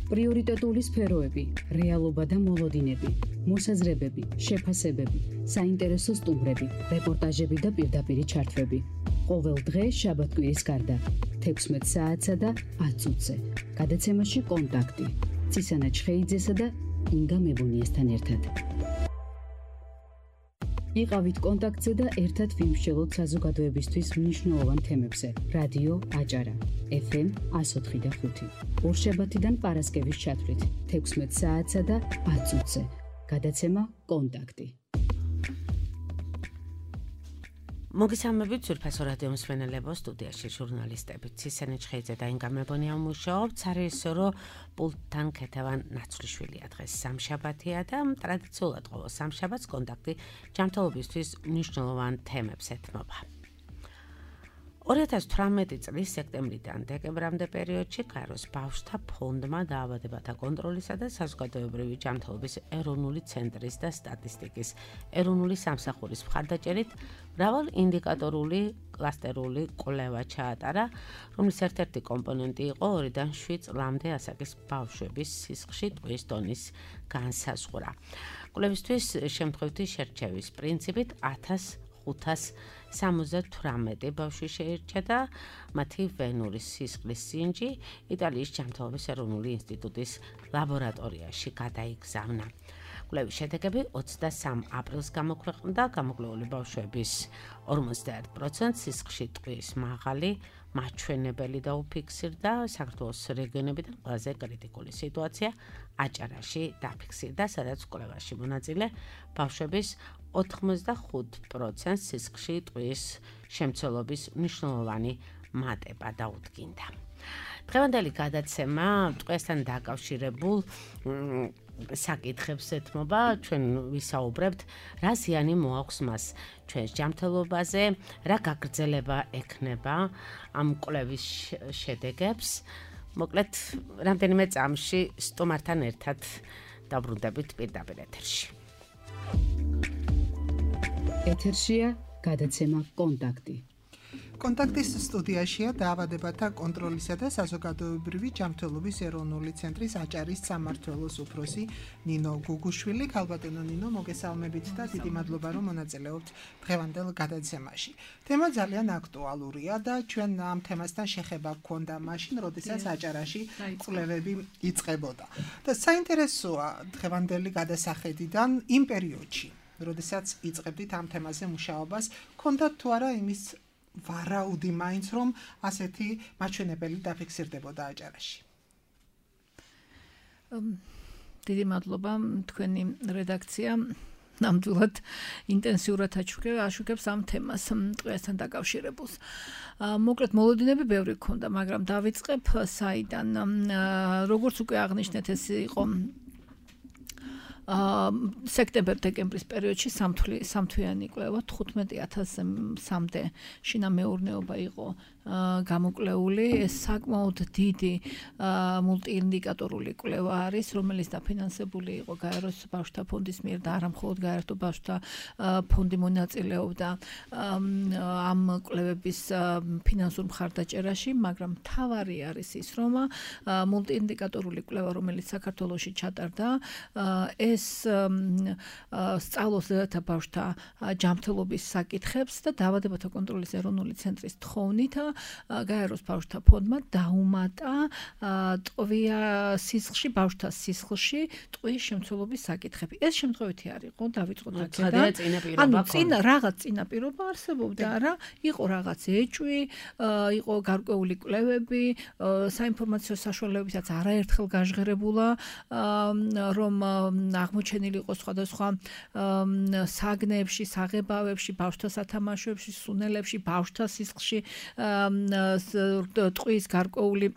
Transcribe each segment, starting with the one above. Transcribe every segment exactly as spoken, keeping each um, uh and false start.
პრიორიტეტული სფეროები, რეალობა და მოლოდინები, მოსაზრებები, შეფასებები, საინტერესო სტუმრები, რეპორტაჟები და პირდაპირი ჩართვები. ყოველ დღე შაბათ-კვირის გარდა, თექვსმეტ საათსა და ათ წუთზე. გადაცემაში კონტაქტი. ცისანა ჩხეიძესა და ინგა მებუნიესთან ერთად. იყავით კონტაქტზე და ერთად ვიმსჯელოთ საზოგადოებისთვის მნიშვნელოვან თემებზე. რადიო აჭარა, ეფ ემ εκατო ოთხი და ხუთი. ორშაბათიდან პარასკევის ჩათვლით, თექვსმეტ საათსა და ათ წუთზე. გადაცემა კონტაქტი. მოგესალმებით ძვირფასო რადიო მსმენელებო, სტუდიაში ჟურნალისტები ცისანა ჩხეიძე და ინგა მებონია მუშაობთ. სარეჟისორო პულტთან ქეთევან ნაცვლიშვილია. დღეს სამშაბათია და ტრადიციულად ყოველ სამშაბათს კონტაქტი ჯანმრთელობისთვის მნიშვნელოვან თემებს ეთმობა. ორი ათას თვრამეტი წლის სექტემბრიდან დეკემბრამდე პერიოდში გაეროს ბავშვთა ფონდმა დაავადებათა კონტროლისა და საზოგადოებრივი ჯანმრთელობის ეროვნული ცენტრის და სტატისტიკის ეროვნული სამსახურის მხარდაჭერით მრავალ ინდიკატორული კლასტერული კვლევა ჩაატარა, რომლის ერთ-ერთი კომპონენტი იყო ორიდან შვიდ წლამდე ასაკის ბავშვების სისხლში ტყვის დონის განსაზღვრა. კვლევისთვის შემთხვევითი შერჩევის პრინციპით ათას ხუთას სამოცდა თვრამეტი ბავშვი შეირჩა და მათი ვენური სისხლის სინჯი იტალიის ჯანმრთელობის ეროვნული ინსტიტუტის ლაბორატორიაში გადაიგზავნა. კვლევის შედეგები ოცდასამ აპრილს გამოქვეყნდა. გამოკვლეული ბავშვების ორმოცდაერთ პროცენტს სისხლში ტყვის მაღალი მაჩვენებელი დაუფიქსირდა. საქართველოს რეგიონებიდან ყველაზე კრიტიკული სიტუაცია აჭარაში დაფიქსირდა, სადაც კვლევაში მონაწილე ბავშვების ოთხმოცდახუთ პროცენტს სისხლში ტყვის შემცველობის მნიშვნელოვანი მატება დაუდგინდა. დღევანდელი გადაცემა ტყვიასთან დაკავშირებულ საკითხებს ეთმობა. ჩვენ ვისაუბრებთ, რა ზიანი მოაქვს მას ჩვენს ჯანმრთელობაზე, რა გაგრძელება ექნება ამ კვლევის შედეგებს. მოკლედ, რამდენიმე წამში სტუმართან ერთად დაბრუნდებით პირდაპირ ეთერში. ეთერშია გადაცემა კონტაქტი. კონტაქტის სტუდიაშია დაავადებათა კონტროლისა და საზოგადოებრივი ჯანმრთელობის ეროვნული ცენტრის აჭარის სამმართველოს უფროსი ნინო გუგუშვილი. ქალბატონო ნინო, მოგესალმებით და დიდი მადლობა, რომ მონაწილეობთ დღევანდელ გადაცემაში. თემა ძალიან აქტუალურია და ჩვენ ამ თემასთან შეხება გქონდა მაშინ, როდესაც აჭარაში კვლევები იწყებოდა. და საინტერესოა დღევანდელი გადასახედიდან იმ პერიოდში, როდესაც იწყებდით ამ თემაზე მუშაობას, გქონდათ თუ არა იმის ვარაუდი მაინც, რომ ასეთი მაჩვენებელი დაფიქსირდებოდა აჭარაში. დიდი მადლობა, თქვენი რედაქცია ნამდვილად ინტენსიურად აშუქებს ამ თემას ტყვიასთან დაკავშირებულს. მოკლედ მოლოდინები ბევრი გქონდა, მაგრამ დავიწყებ საიდან. როგორც უკვე აღნიშნეთ, ეს იყო სექტემბერ-დეკემბრის პერიოდში სამთვიანი კვლევა, თხუთმეტი ათასამდე შინა მეურნეობა იყო გამოკვლეული. ეს საკმაოდ დიდი მულტიინდიკატორული კვლევა არის, რომელიც დაფინანსებული იყო გაეროს ბავშვთა ფონდის მიერ და არა მხოლოდ გაეროს ბავშვთა ფონდი მონაწილეობდა ამ კვლევების ფინანსურ მხარდაჭერაში, მაგრამ მთავარი არის ის, რომ მულტიინდიკატორული კვლევა, რომელიც საქართველოში ჩატარდა, ეს სწავლობს დედათა ბავშვთა ჯანმრთელობის საკითხებს და დაავადებათა კონტროლის ეროვნული ცენტრის თხოვნით გაეროს ბავშვთა ფონდმა დაუმატა ტყვია სისხლში, ბავშვთა სისხლში ტყვის შემცველობის საკითხები. ეს შემთხვევითი არ იყო, დავიწყოთ აქედან. ანუ წინა რაღაც წინაპირობა არსებობდა, რა, იყო რაღაც ეჭვი, იყო გარკვეული კვლევები, საინფორმაციო საშუალებებიც არაერთხელ გაჟღერებულა, რომ აღმოჩენილი იყო სხვადასხვა საგნებში, საღებავებში, ბავშვთა სათამაშოებში, სუნელებში, ბავშვთა სისხლში ტყვის გარკვეული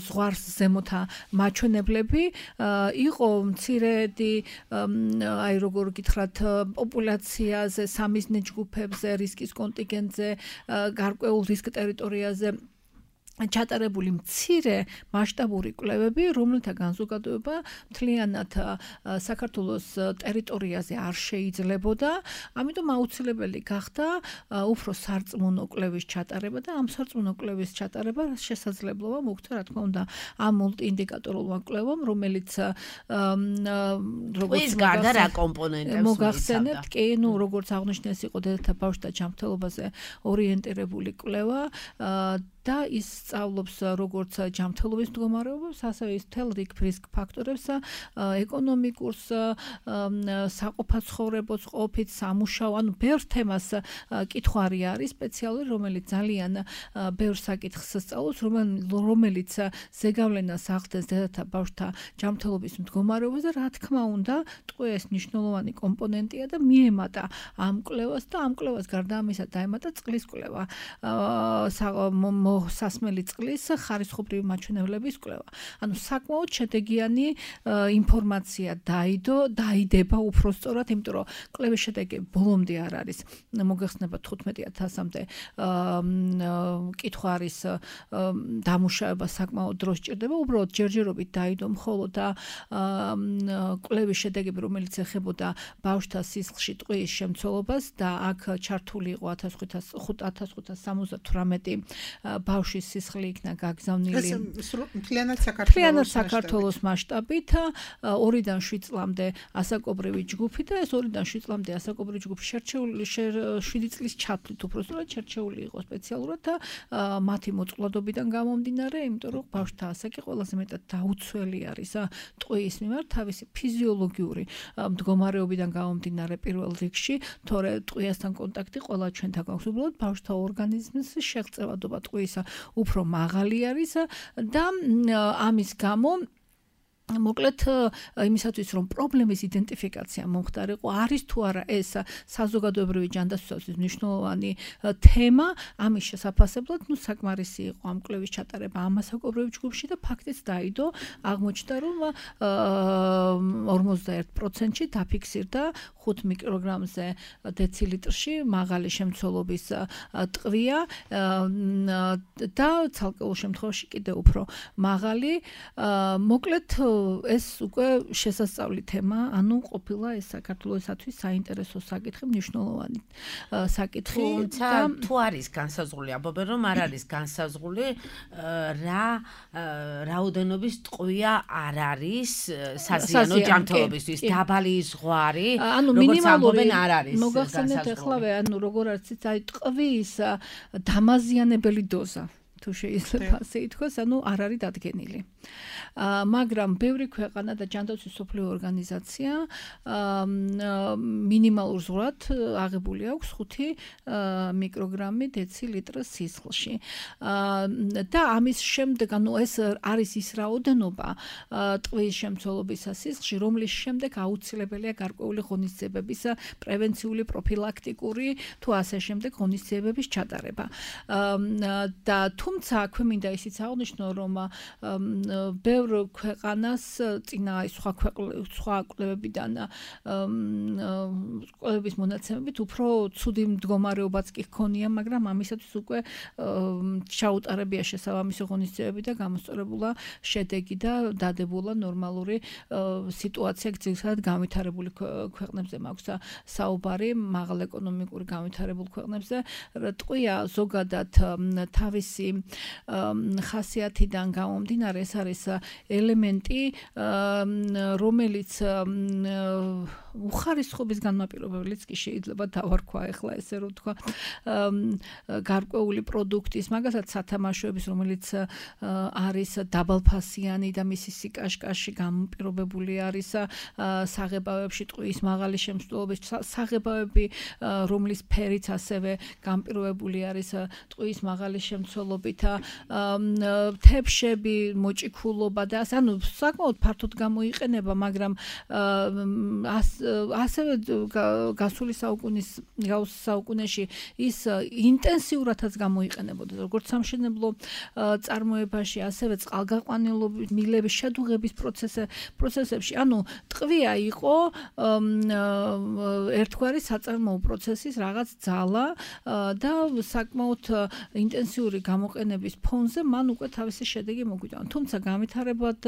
ზღვარს ზემოთა მაჩვენებლები. იყო მცირედი, აი როგორ გითხრათ, პოპულაციაზე, სამიზნე ჯგუფებზე, რისკის კონტინგენტზე, გარკვეულ რისკ ტერიტორიაზე ჩატარებული მცირე მასშტაბური კვლევები, რომელთა განზოგადოება მთლიანად საქართველოს ტერიტორიაზე არ შეიძლებოდა, ამიტომ აუცილებელი გახდა უფრო სარწმუნო კვლევის ჩატარება და ამ სარწმუნო კვლევის ჩატარება შესაძლებლობა მოგვცა, რა თქმა უნდა, ამ მულტიინდიკატორულმა კვლევამ, რომელიც როგორც გარდა რა კომპონენტებს მოგახსენებთ, კი, ну, როგორც აღნიშნეს, იყო დედათა ბავშვთა ჯანმრთელობაზე ორიენტირებული კვლევა და ის სწავლობს როგორც ჯანმრთელობის მდგომარეობას, ასევე ის მთელ რიგ რისკ ფაქტორებს, ეკონომიკურს, საყოფაცხოვრებო ყოფით, სამუშაო, ანუ ბევრ თემას კითხვარი არის სპეციალური, რომელიც ძალიან ბევრ საკითხს სწავლობს, რომელიც ზეგავლენას ახდენს დედათა ბავშვთა ჯანმრთელობის მდგომარეობაზე, რა თქმა უნდა, ტყვია ეს მნიშვნელოვანი კომპონენტია და მიემატა ამ კვლევას და ამ კვლევას გარდა ამისა დაემატა წყლის კვლევა. სასმელი წყლის ხარისხობრივი მაჩვენებლების კვლევა. ანუ საკმაოდ შედეგიანი ინფორმაცია დაიდო, დაიდება უფრო სწორად, იმიტომ რომ კვლევის შედეგი ბოლომდე არ არის. მოგეხსნება თხუთმეტი ათასამდე კითხვა არის დამუშავება საკმაოდ დრო სჭირდება, უბრალოდ ჯერჯერობით დაიდო მხოლოდ და კვლევის შედეგები, რომელიც ეხებოდა ბავშვთა სისხლში ტყვიის შემცველობას და აქ ჩართული იყო ათას ხუთას სამოცდა თვრამეტი ბავშვის სისხლი იქნა გაგზავნილი მთლიანად საქართველოს მასშტაბით ორიდან შვიდ წლამდე ასაკობრივი ჯგუფი და ეს ორიდან შვიდ წლამდე ასაკობრივი ჯგუფი შერჩეული შვიდი წლის ჩათვლით უბრალოდ შერჩეული იყო სპეციალურად და მათი მოწყვლადობიდან გამომდინარე, იმიტომ რომ ბავშვთა ასაკი ყველაზე მეტად დაუცველი არის ტყვიის მიმართ თავისი ფიზიოლოგიური მდგომარეობიდან გამომდინარე პირველ რიგში, თორე ტყვიასთან კონტაქტი ყველა ჩვენთან გვაქვს, უბრალოდ ბავშვთა ორგანიზმის შეღწევადობა ტყვისა უფრო მაღალი არის და ამის გამო მოკლედ იმისათვის რომ პრობლემის იდენტიფიკაცია მომხდარიყო, არის თუ არა ეს საზოგადოებრივი ჯანდაცვისთვის მნიშვნელოვანი თემა, ამის შესაფასებლად, ну საკმარისი იყო ამ კვლევის ჩატარება ამ ასაკობრივ ჯგუფში და ფაქტიც დაიდო, აღმოჩნდა რომ ორმოცდაერთ პროცენტში დაფიქსირდა ხუთ მიკროგრამზე დეცილიტრში მაღალი შემცველობის ტყვია და ცალკეულ შემთხვევაში კიდევ უფრო მაღალი. მოკლედ ეს უკვე შესასწავლი თემა, ანუ ყოფილა ეს საქართველოსთვის საინტერესო საკითხი, მნიშვნელოვანი საკითხი. თუმცა თუ არის განსაზღვრული, ამბობენ რომ არ არის განსაზღვრული რა რაოდენობის ტყვია არ არის საზიანო ჯანმრთელობისთვის, დაბალი ზღვარი, როგორც ამბობენ არ არის. მოგახსენეთ ახლავე, ანუ როგორ არის აი ტყვის დამაზიანებელი დოზა. თუ შეიძლება ასე ითქვას, ანუ არ არის დადგენილი. მაგრამ ბევრი ქვეყანა და ჯანდაცვის მსოფლიო ორგანიზაცია მინიმალურ ზღვრად აღებული აქვს ხუთი მიკროგრამი დეცილიტր სისხლში. და ამის შემდეგ, ანუ ეს არის ის რაოდენობა ტყვის შემცველობისა სისხლში, რომლის შემდეგ აუცილებელია გარკვეული ღონისძიებების პრევენციული, პროფილაქტიკური თუ ასე შემდეგ ღონისძიებების ჩატარება. და თუმცა აქვე მინდა ისიც აღნიშნო, რომ ბევრ ქვეყანას წინა სხვა სხვა კვლევებიდან კვლევების მონაცემებით უფრო ცუდი მდგომარეობაც კი ჰქონია, მაგრამ ამისათვის უკვე ჩაუტარებია შესაბამისი ღონისძიებები და გამოსწორებულა შედეგი და დადებულა ნორმალური სიტუაცია ძირითადად განვითარებული ქვეყნებზე მაქვს საუბარი, მაღალ ეკონომიკური განვითარებულ ქვეყნებზე. ტყვია ზოგადად თავისი ხასიათიდან გამომდინარე ეს არის ელემენტი, რომელიც უხარისხობის განმაპირობებელიც კი შეიძლება დავარქვა ახლა ესე რომ თქვა გარკვეული პროდუქტის, მაგალითად სათამაშოების, რომელიც არის დაბალფასიანი და მისი სიკაშკაში განპირობებული არის საღებავებში ტყვის მაღალი შემცველობის, საღებავები, რომლის ფერიც ასევე განპირობებული არის ტყვის მაღალი შემცველობით, თებშები, მოჭიქულობა და ანუ საკმაოდ ფართოდ გამოიყენება, მაგრამ ასევე გასული საუკუნის საუკუნეში ის ინტენსიურადაც გამოიყენებოდა როგორც სამშენებლო წარმოებაში, ასევე წყალგაყვანილობის მილების შედუღების პროცესებში. ანუ ტყვია იყო ერთგვარი საწარმოო პროცესის რაღაც ძალა და საკმაოდ ინტენსიური გამოყენების ფონზე მან უკვე თავისი შედეგი მოგვიტანა. თუმცა განვითარებად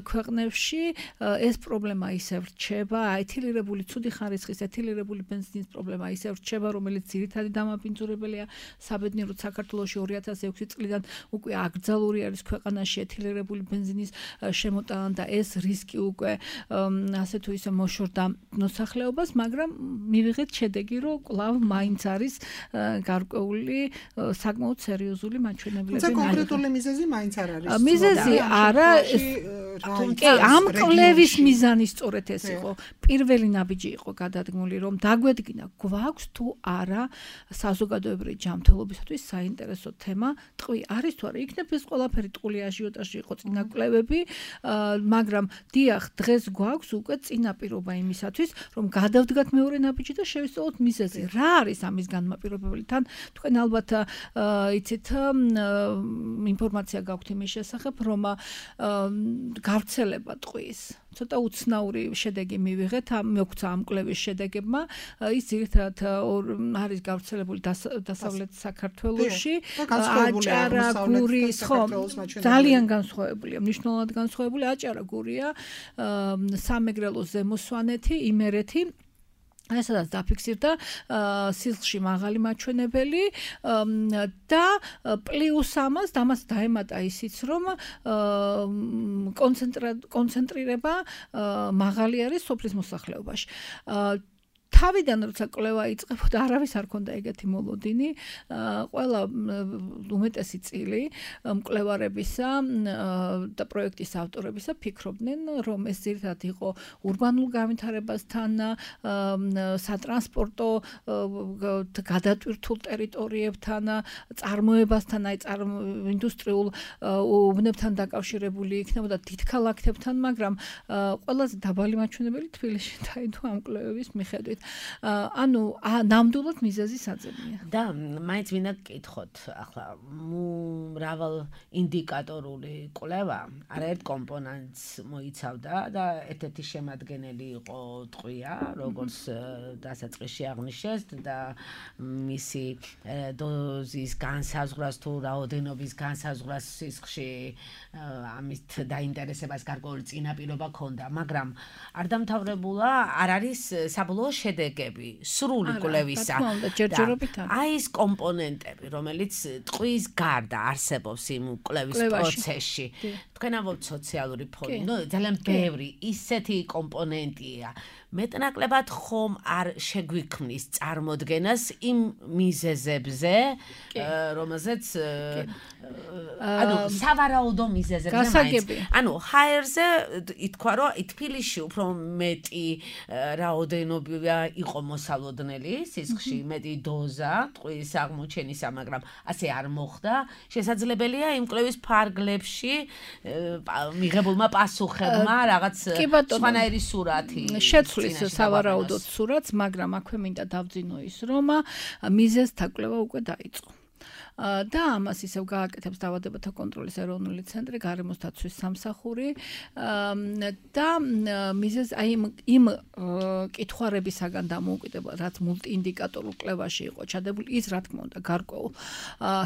ქვეყნებში ეს პრობლემა ისევ რჩება, ეთილირებული ცუდი ხარისხის ეთილირებული ბენზინის პრობლემა ისევ რჩება, რომელიც ძირითადი დამაბინძურებელია საბედნიეროდ საქართველოში ორი ათას ექვსი წლიდან უკვე აკრძალული არის ქვეყანაში ეთილირებული ბენზინის შემოტანა და ეს რისკი უკვე ასე თუ ისე მოშორდა მოსახლეობას, მაგრამ მივიღეთ შედეგი, რომ კვლავ მაინც არის გარკვეული საკმაოდ სერიოზული მაჩვენებლები. თუმცა კონკრეტული მიზეზი მაინც არ არის. მიზეზი არა, კი, ამ კვლევის მიზანი სწორედ ეს იყო. პირველი ნაბიჯი იყო გადადგმული, რომ დაგვედგინა გვაქვს თუ არა საზოგადოებრივი ჯანმრთელობისათვის საინტერესო თემა ტყვი არის თუ არა. იქნებ ეს ყველაფერი ტყული აჟიოტაჟი იყო წინა კვლევები, მაგრამ დიახ, დღეს გვაქვს უკვე წინაპირობა იმისათვის, რომ გადავდგათ მეორე ნაბიჯი და შევისწავლოთ მიზეზი. რა არის ამის განმაპირობებელი? თან თქვენ ალბათ იცით ინფორმაცია გაქვთ იმის შესახებ, რომ გავრცელება ტყვის ცოტა უცნაური შედეგი მივიღეთ, მოგვცა ამ კვლევის შედეგებმა. ის ძირითადად არის გავრცელებული დასავლეთ საქართველოში, აჭარა, გურიის, ხო, ძალიან განსხვავებულია, მნიშვნელოვნად განსხვავებული. აჭარა, გურია, სამეგრელო, ზემო სვანეთი, იმერეთი ესადაც დაფიქსირდა სისხლში მაღალი მაჩვენებელი და პლუს ამას დამას დაემატა ისიც, რომ კონცენტრირება მაღალი არის სოფლის მოსახლეობაში. თავიდან როცა კვლევა იწყებოდა, არავის არ ქონდა ეგეთი მოლოდინი. ყველა უმეტესი წილი მკვლევარებისა და პროექტის ავტორებისა ფიქრობდნენ, რომ ეს ძირითადად იყო ურბანულ განვითარებასთან, სატრანსპორტო გადატვირთულ ტერიტორიებთან, წარმოებასთან, აი ინდუსტრიულ უბნებთან დაკავშირებული იქნებოდა დიდ ქალაქებთან, მაგრამ ყველაზე დაბალი მაჩვენებელი თბილისში დაიდო ამ კვლევების მიხედვით. ანუ ნამდვილად მიზეზი საძებნია. და მაინც მინდა გკითხოთ, ახლა მრავალ ინდიკატორული კვლევა არაერთ კომპონენტს მოიცავდა და ერთ-ერთი შემადგენელი იყო ტყვია, როგორც დასაწყისში აღნიშნეს და მისი დოზის განსაზღვრას თუ რაოდენობის განსაზღვრას სისხლში ამით დაინტერესებას გარკვეული წინაპირობა ჰქონდა, მაგრამ არ დამთავრებულა, არ არის საბოლოო შედეგები სრული კვლევისა. აი ეს კომპონენტები, რომელიც ტყვის გარდა არსებობს იმ კვლევის პროცესში. თქვენ ამბობთ სოციალური ფონი, ნუ ძალიან ბევრი ისეთი კომპონენტია. მეტნაკლებად ხომ არ შეგვიქმნის წარმოდგენას იმ მიზეზებზე, რომელზეც ანუ სავარაუდო მიზეზებზე მაინც. ანუ ჰაერზე ითქვა, რომ თბილისში უფრო მეტი რაოდენობა იყო მოსალოდნელი, სისხლში მეტი დოზა ტყვის აღმოჩენისა, მაგრამ ასე არ მოხდა. შესაძლებელია იმ კვლევის ფარგლებში მიღებულმა პასუხებმა რაღაც სხვანაირი სურათი შეცვლის სავარაუდოდ სურათს, მაგრამ აქვე მინდა დავძინო ის, რომ მიზეზთა კვლევა უკვე დაიწყო. და ამას ისევ გააკეთებს დაავადებათა კონტროლის ეროვნული ცენტრი, გარემოს დაცვის სამსახური და მიზეზ აი იმ კითხვარებისაგან დამოუკიდებელ, რაც მულტიინდიკატორულ კვლევაში იყო ჩადებული, ის რა თქმა უნდა გარკვეულ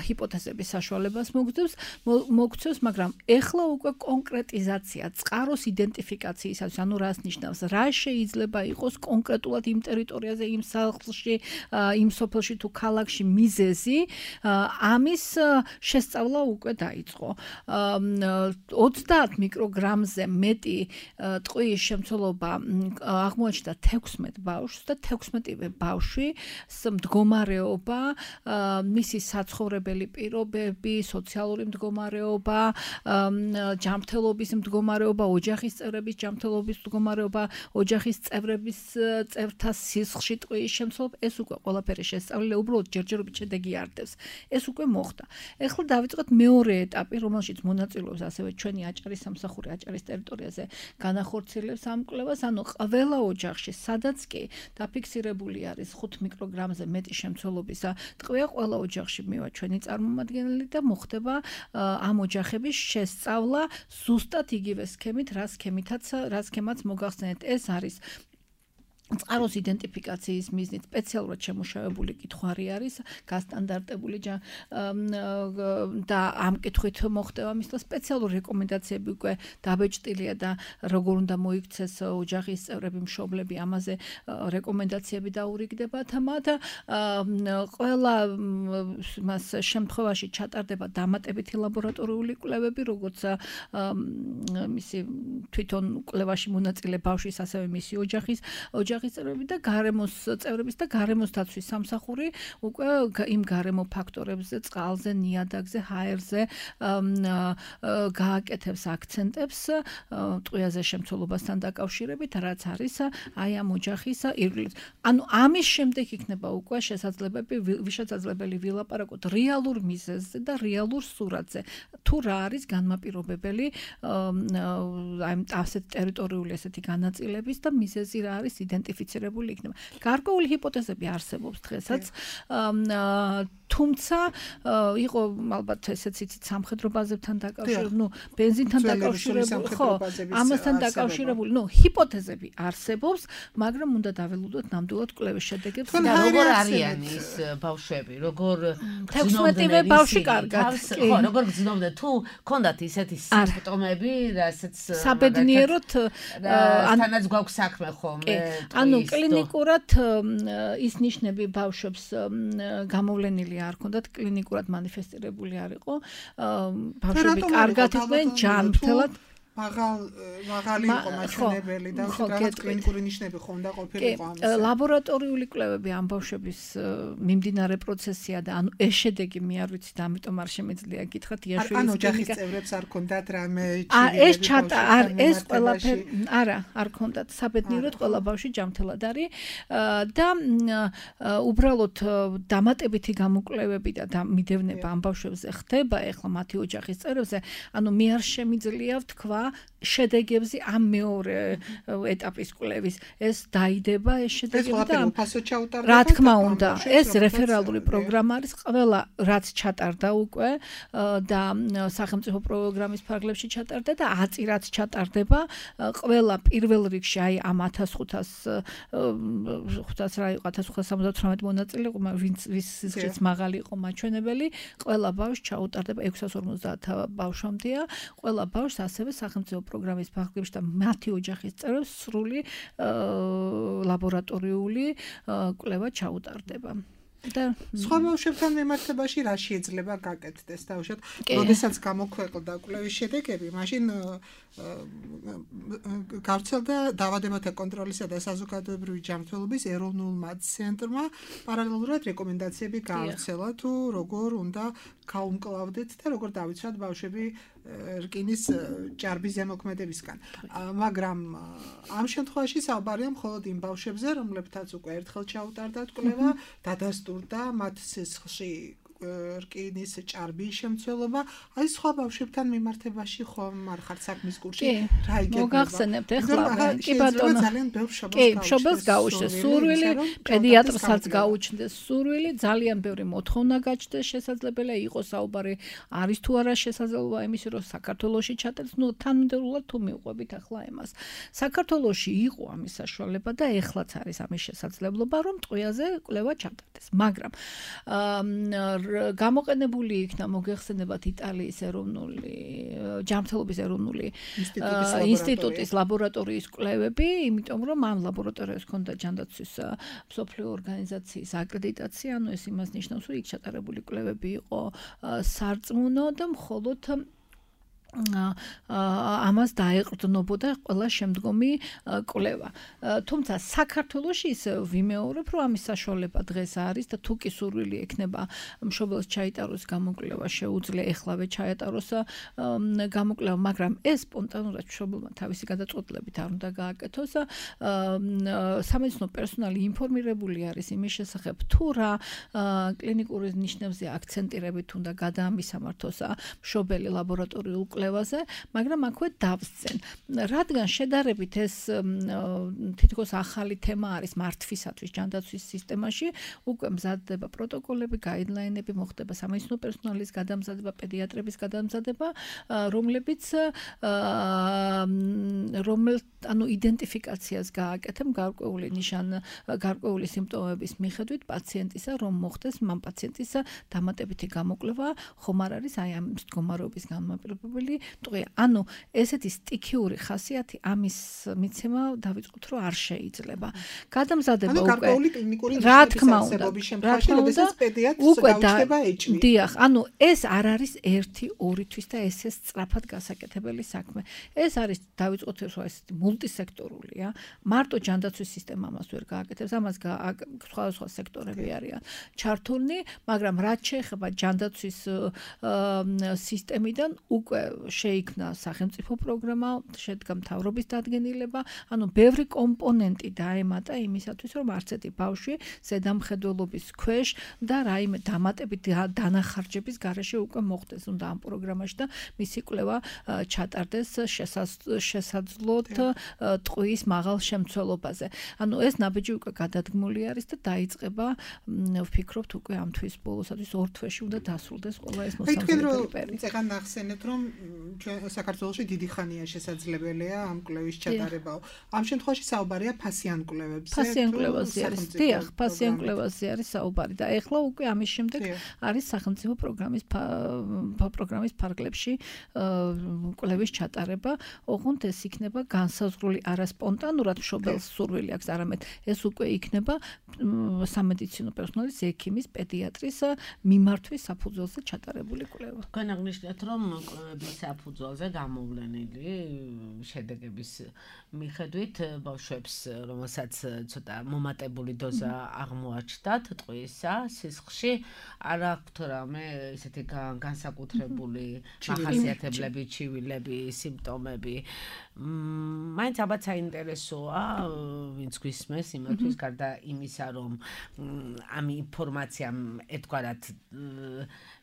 ჰიპოთეზების საშუალებას მოგცევს, მოგცევს, მაგრამ ეხლა უკვე კონკრეტიზაცია, წყაროს იდენტიფიკაციისას, ანუ რას ნიშნავს, რა შეიძლება იყოს კონკრეტულად იმ ტერიტორიაზე, იმ სახლში, იმ სოფელში თუ ქალაქში მიზეზი, ამის შესწავლა უკვე დაიწყო. ოცდაათ მიკროგრამზე მეტი ტყვის შემცველობა აღმოაჩნდა თექვსმეტ ბავშვს და თექვსმეტივე ბავშვი მდგომარეობა, მისი საცხოვრებელი პირობები, სოციალური მდგომარეობა, ჯანმრთელობის მდგომარეობა, ოჯახის წევრების ჯანმრთელობის მდგომარეობა, ოჯახის წევრების წევრთა სისხლში ტყვის შემცველობა, ეს უკვე ყველაფერი შესწავლილი, უბრალოდ ჯერჯერობით შედეგი არ დევს. ეს უკვე მოხდა. ეხლა დავიწყოთ მეორე ეტაპი, რომელშიც მონაწილეობს ასევე ჩვენი აჭარის სამსახური აჭარის ტერიტორიაზე განახორციელებს ამ კვლევას, ანუ ყველა ოჯახში, სადაც კი დაფიქსირებული არის ხუთ მიკროგრამზე მეტი შემცველობისა ტყვია, ყველა ოჯახში მივა ჩვენი წარმომადგენელი და მოხდება ამ ოჯახების შესწავლა ზუსტად იგივე სქემით, რა სქემითაც, რა სქემაც მოგახსენეთ. ეს არის წყაროს იდენტიფიკაციის მიზნით სპეციალურად შემუშავებული კითხვარი არის, გასტანდარტებული და ამ კითხვით მოხდება მისლა სპეციალური რეკომენდაციები უკვე დაბეჭდილია და როგორ უნდა მოიქცეს ოჯახის წევრები, მშობლები, ამაზე რეკომენდაციები დაურიგდებათ მათ. ყველა მას შემთხვევაში ჩატარდება დამატებითი ლაბორატორიული კვლევები, როგორც მისი თვითონ კვლევაში მონაწილე ბავშვის, ასევე მისი ოჯახის ოჯახის წევრები და გარემოს წევრების და გარემოს დაცვის სამსახური უკვე იმ გარემო ფაქტორებზე, წყალზე, ნიადაგზე, ჰაერზე გააკეთებს აქცენტებს ტყვიაზე შემცველობასთან დაკავშირებით, რაც არის აი ამ ოჯახის ირგვლივ. ანუ ამის შემდეგ იქნება უკვე შესაძლებელი შესაძლებელი ვილაპარაკოთ რეალურ მიზეზზე და რეალურ სურათზე. თუ რა არის განმაპირობებელი აი ასეთ ტერიტორიული ესეთი განაწილების და მიზეზი რა არის იდენტიფიცირებული იქნება. გარკვეული ჰიპოთეზები არსებობს დღესაც, თუმცა იყო ალბათ ესეც იცით სამხედრო ბაზებთან დაკავშირებული, ნუ ბენზინთან დაკავშირებული, ხო, ამასთან დაკავშირებული, ნუ ჰიპოთეზები არსებობს, მაგრამ უნდა დაველოდოთ ნამდვილად კვლევის შედეგებს. და როგორ არიან ის ბავშვები, როგორ თექვსმეტივე ბავშვი კარგად, ხო, როგორ გრძნობდნენ, თუ ქონდათ ისეთი სიმპტომები, რასაც საბედნიეროდ თანაც გვაქვს საქმე ხომ? ანუ კლინიკურად ის ნიშნები ბავშვებს გამოვლენილი არ ქონდათ, კლინიკურად მანიფესტირებული არ იყო. ბავშვები კარგად იყვნენ, ჯანმრთელად მაღალ მაღალი იყო მაჩვენებელი და რაღაც კლინიკური ნიშნები ხონდა ყოფილიყო ამის. ლაბორატორიული კვლევები ამ ბავშვების მიმდინარე პროცესია და ანუ ეს შედეგი მე არ ვიცით, ამიტომ არ შემეძლია გითხრათ იაშვილის ანუ ოჯახის წევრებს არ ქონდათ რამე ჭირიები. ეს ჩატა არ ეს ყველაფერი არა, არ ქონდათ. საბედნიეროდ ყველა ბავშვი ჯანმრთელად არის და უბრალოდ დამატებითი გამოკვლევები და მიდევნება ამ ბავშვებზე ხდება ეხლა მათი ოჯახის წევრებზე. ანუ მე არ შემიძლია ვთქვა შედეგებზე ამ მეორე ეტაპის კვლევის. ეს დაიდება ეს შედეგები და რა თქმა უნდა, ეს რეფერალური პროგრამა არის, ყველა რაც ჩატარდა უკვე და სახელმწიფო პროგრამის ფარგლებში ჩატარდა და ათი რაც ჩატარდება, ყველა პირველ რიგში აი ამ ათას ხუთას ხუთას რა იყო ათას ხუთას სამოცდათვრამეტი მონაწილე, ვინც ვის სიზღვრიც მაღალი იყო მაჩვენებელი, ყველა ბავშვს ჩაუტარდება ექვსას ორმოცდაათ ბავშვამდეა, ყველა ბავშვს ასევე სახელმწიფო პროგრამის ფარგლებში და მათი ოჯახის წევრებს სრული ლაბორატორიული კვლევა ჩაუტარდება. და სხვა ბავშვებთან მიმართებაში რა შეიძლება გაკეთდეს თავშოთ? როდესაც გამოქვეყნდა კვლევის შედეგები, მაშინ გავრცელდა დაავადებათა კონტროლისა და საზოგადოებრივი ჯანმრთელობის ეროვნულმა ცენტრმა პარალელურად რეკომენდაციები გაავრცელა, თუ როგორ უნდა გაუმკლავდეთ და როგორ დავიცვათ ბავშვები რკინის ჭარბის ზემოქმედებისგან. მაგრამ ამ შემთხვევაში საუბარია მხოლოდ იმ ბავშვებზე, რომლებთაც უკვე ერთხელ ჩაუტარდათ კვლევა, დადასტურდა მათ სისხლში რკინის ჭარბის შემცველობა. აი სხვა ბავშვებთან მიმართებაში ხომ არ ხართ საქმის კურსში? რა იგებება? მოგახსენებთ ეხლა კი ბატონო. კი, მშობელს გაუჩნდეს სურვილი, პედიატრსაც გაუჩნდეს სურვილი, ძალიან ბევრი მოთხოვნა გაჩნდეს, შესაძლებელია იყოს საუბარი არის თუ არა შესაძლებლობა იმის, რომ საქართველოში ჩატარდეს, ნუ თანმიმდევრულად თუ მიყვებით ახლა ემას. საქართველოში იყო ამის საშუალება და ეხლაც არის ამის შესაძლებლობა, რომ ტყვიაზე კვლევა ჩატარდეს. მაგრამ გამოყენებული იქნა მოგეხსენებათ იტალიის ეროვნული ჯანმრთელობის ეროვნული ინსტიტუტის ლაბორატორიის კვლევები, იმიტომ რომ ამ ლაბორატორიას ჰქონდა ჯანდაცვის მსოფლიო ორგანიზაციის აკრედიტაცია, ანუ ეს იმას ნიშნავს, რომ იქ ჩატარებული კვლევები იყო სარწმუნო და მხოლოდ ამას დაეყრდნობოდა ყველა შემდგომი კვლევა. თუმცა საქართველოში ისე ვიმეორებ, რომ ამის საშუალება დღეს არის და თუ კი სურვილი ექნება მშობელს ჩაიტაროს გამოკვლევა, შეუძლია ეხლავე ჩაეტაროს გამოკვლევა, მაგრამ ეს სპონტანურად მშობელმა თავისი გადაწყვეტილებით არ უნდა გააკეთოს. სამედიცინო პერსონალი ინფორმირებული არის იმის შესახებ, თუ რა კლინიკური ნიშნებზე აქცენტირებით უნდა გადაამისამართოს მშობელი ლაბორატორიულ კვლევაზე, მაგრამ აქვე დავსწენ. რადგან შედარებით ეს თითქოს ახალი თემა არის მართვისათვის ჯანდაცვის სისტემაში, უკვე მზადდება პროტოკოლები, გაიდლაინები, მოხდება სამედიცინო პერსონალის გადამზადება, პედიატრების გადამზადება, რომლებიც რომელ ანუ იდენტიფიკაციას გააკეთებ გარკვეული ნიშან გარკვეული სიმპტომების მიხედვით პაციენტისა, რომ მოხდეს მან პაციენტისა დამატებითი გამოკვლევა, ხომ არ არის აი ამ მდგომარეობის განმაპირობებელი ტყვია. ანუ ესეთი სტიქიური ხასიათი ამის მიცემა დავიწყოთ, რომ არ შეიძლება. გადამზადება უკვე გარკვეული კლინიკური რა თქმა უნდა, შემთხვევაში, როდესაც პედიატრს გაუჩნდება ეჭვი. დიახ, ანუ ეს არ არის ერთი ორი თვის და ეს ეს სწრაფად გასაკეთებელი საქმე. ეს არის დავიწყოთ, რომ ესეთი მულტისექტორულია. მარტო ჯანდაცვის სისტემა ამას ვერ გააკეთებს, ამას სხვადასხვა სექტორები არიან ჩართულნი, მაგრამ რაც შეეხება ჯანდაცვის სისტემიდან უკვე შეიქმნა სახელმწიფო პროგრამა, შედგა მთავრობის დადგენილება, ანუ ბევრი კომპონენტი დაემატა იმისათვის, რომ არც ერთი ბავშვი ზედამხედველობის ქვეშ და რაიმე დამატებით დანახარჯების გარეშე უკვე მოხდეს უნდა ამ პროგრამაში და მისი კვლევა ჩატარდეს შესაძლოთ ტყუის მაღალ შემცველობაზე. ანუ ეს ნაბიჯი უკვე გადადგმული არის და დაიწყება, ვფიქრობთ, უკვე ამ თვის ბოლოსათვის ორ თვეში უნდა დასრულდეს ყველა ეს მოსამზადებელი პერიოდი. ეხლა ნახსენეთ, რომ ჩვენ საქართველოში დიდი ხანია შესაძლებელია ამ კვლევის ჩატარებაო. ამ შემთხვევაში საუბარია ფასიან კვლევებზე. ფასიან კვლევაზე არის. დიახ, ფასიან კვლევაზე არის საუბარი და ეხლა უკვე ამის შემდეგ არის სახელმწიფო პროგრამის პროგრამის ფარგლებში კვლევის ჩატარება. ოღონდ ეს იქნება განსაზღვრული არა სპონტანურად მშობელს სურვილი აქვს, არამედ ეს უკვე იქნება სამედიცინო პერსონალის, ექიმის, პედიატრის მიმართვის საფუძველზე ჩატარებული კვლევა. თქვენ აღნიშნეთ, რომ კვლევების საფუძველზე გამოვლენილი შედეგების მიხედვით ბავშვებს, რომელსაც ცოტა მომატებული დოზა აღმოაჩნდათ ტყვიისა სისხლში, არ აქვთ რამე ესეთი განსაკუთრებული მახასიათებლები, ჩივილები, სიმპტომები. მაინც ალბათ საინტერესოა, ვინც გვისმენს იმათთვის, გარდა იმისა, რომ ამ ინფორმაციამ ერთგვარად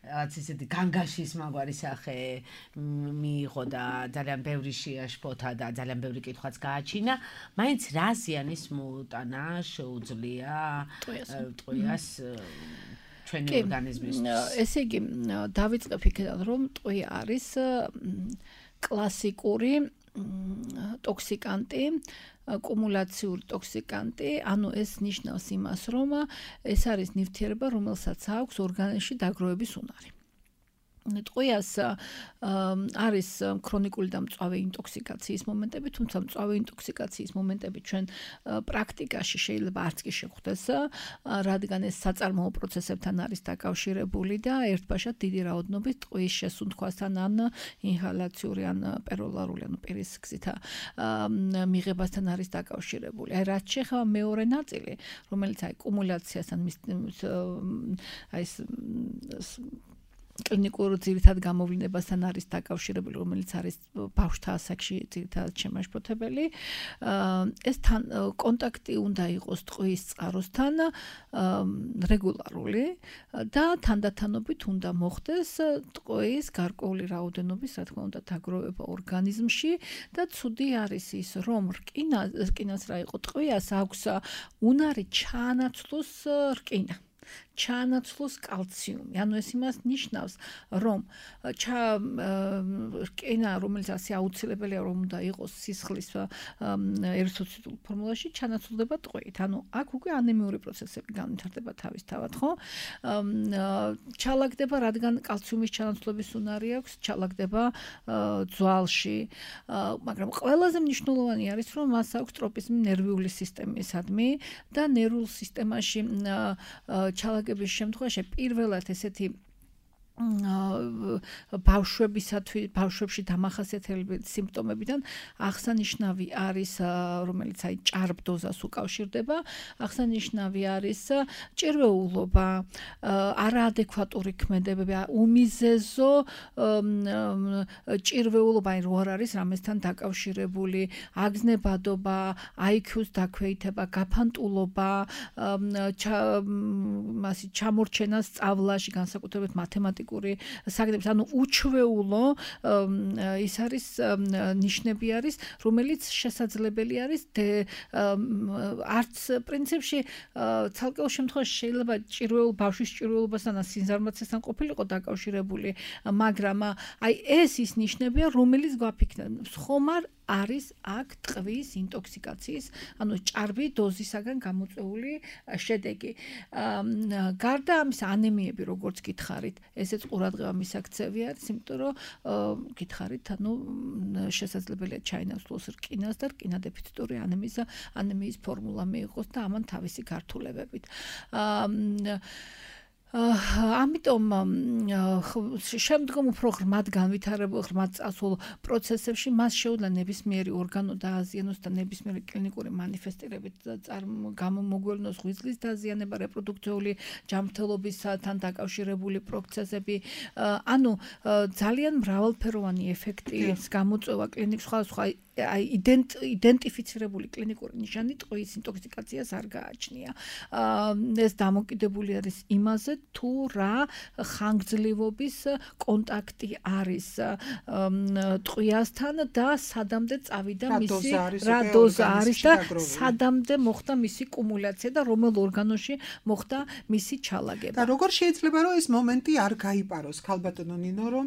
რაც ისეთი განგაშის მაგვარი სახე მიიღო და ძალიან ბევრი შეაშფოთა და ძალიან ბევრი კითხვაც გააჩინა, მაინც რა ზიანის მოუტანა შეუძლია ტყვიას ჩვენი ორგანიზმისთვის. ესე იგი, დავიწყებ იქიდან, რომ ტყვია არის კლასიკური ტოქსიკანტი, კუმულაციური ტოქსიკანტი, ანუ ეს ნიშნავს იმას, რომ ეს არის ნივთიერება, რომელსაც აქვს ორგანიზმში დაგროვების უნარი. ტყვიას არის ქრონიკული და მწვავე ინტოქსიკაციის მომენტები, თუმცა მწვავე ინტოქსიკაციის მომენტები ჩვენ პრაქტიკაში შეიძლება არც კი შეხვდეს, რადგან ეს საწარმოო პროცესებთან არის დაკავშირებული და ერთბაშად დიდი რაოდენობით ტყვის შესუნთქვასთან ან ინჰალაციური ან პეროლარული ან პირის გზით მიღებასთან არის დაკავშირებული. აი რაც შეეხება მეორე ნაწილი, რომელიც აი კუმულაციასთან აი ეს კლინიკურ ძირითად გამოვლენებასთან არის დაკავშირებული, რომელიც არის ბავშვთა ასაკში ძირითადად შემაშფოთებელი. ეს თან კონტაქტი უნდა იყოს ტყვის წყაროსთან რეგულარული და თანდათანობით უნდა მოხდეს ტყვის გარკვეული რაოდენობის, რა თქმა უნდა, დაგროვება ორგანიზმში და ცუდი არის ის, რომ რკინა, რკინას რა იყო, ტყვიას აქვს უნარი ჩაანაცვლოს რკინა. ჩაანაცვლოს კალციუმი. ანუ ეს იმას ნიშნავს, რომ რკინა, რომელიც ასე აუცილებელია, რომ უნდა იყოს სისხლის ერითროციტულ ფორმულაში, ჩანაცვლდება ტყვით. ანუ აქ უკვე ანემიური პროცესები განვითარდება თავისთავად, ხო? ჩალაგდება, რადგან კალციუმის ჩანაცვლების უნარი აქვს, ჩალაგდება ძვალში. მაგრამ ყველაზე მნიშვნელოვანი არის, რომ მას აქვს ტროპიზმი ნერვიული სისტემისადმი და ნერვულ სისტემაში ჩალაგების შემთხვევაში პირველად ესეთი ბავშვებისათვის ბავშვებში დამახასიათებელი სიმპტომებიდან აღსანიშნავი არის რომელიც აი ჭარბდოზას უკავშირდება აღსანიშნავი არის ჭირვეულობა არაადეკვატური ქმედებები უმიზეზო ჭირვეულობა აი რო არ არის რამესთან დაკავშირებული აგზნებადობა აი ქიუს დაქვეითება გაფანტულობა მასი ჩამორჩენა სწავლაში განსაკუთრებით მათემატიკაში საკითხებს, ანუ უჩვეულო ის არის ნიშნები არის, რომელიც შესაძლებელი არის არც პრინციპში ცალკეულ შემთხვევაში შეიძლება ჭირვეულ ბავშვის ჭირვეულობასთან ან სინზარმაცესთან ყოფილიყო დაკავშირებული, მაგრამ აი ეს ის ნიშნებია, რომელიც გვაფიქრებთ, ხომარ არის აქ ტყვის ინტოქსიკაციის, ანუ ჭარბი დოზისაგან გამოწვეული შედეგი. გარდა ამის ანემიები, როგორც გითხარით, ესეც ყურადღება მისაქცევი არის, იმიტომ რომ გითხარით, ანუ შესაძლებელია ჩაინაცვლოს რკინას და რკინადეფიციტური ანემიის ანემიის ფორმულა მიიღოს და ამან თავისი გართულებებით. ამიტომ შემდგომ უფრო ღრმად განვითარებულ ღრმად წასულ პროცესებში მას შეუძლია ნებისმიერი ორგანო დააზიანოს და ნებისმიერი კლინიკური მანიფესტირებით გამომოგვევლნოს ღვიძლის დაზიანება, რეპროდუქციული ჯანმრთელობისთან დაკავშირებული პროცესები, ანუ ძალიან მრავალფეროვანი ეფექტის გამოწვევა კლინიკ სხვადასხვა აი იდენტიფიცირებული კლინიკური ნიშანი ტყვის ინტოქსიკაციას არ გააჩნია. ეს დამოკიდებული არის იმაზე, თუ რა ხანგრძლივობის კონტაქტი არის ტყვიასთან და სადამდე წავიდა მისი რა დოზა არის და სადამდე მოხდა მისი კუმულაცია და რომელ ორგანოში მოხდა მისი ჩალაგება. და როგორ შეიძლება რომ ეს მომენტი არ გაიპაროს ქალბატონო ნინო, რომ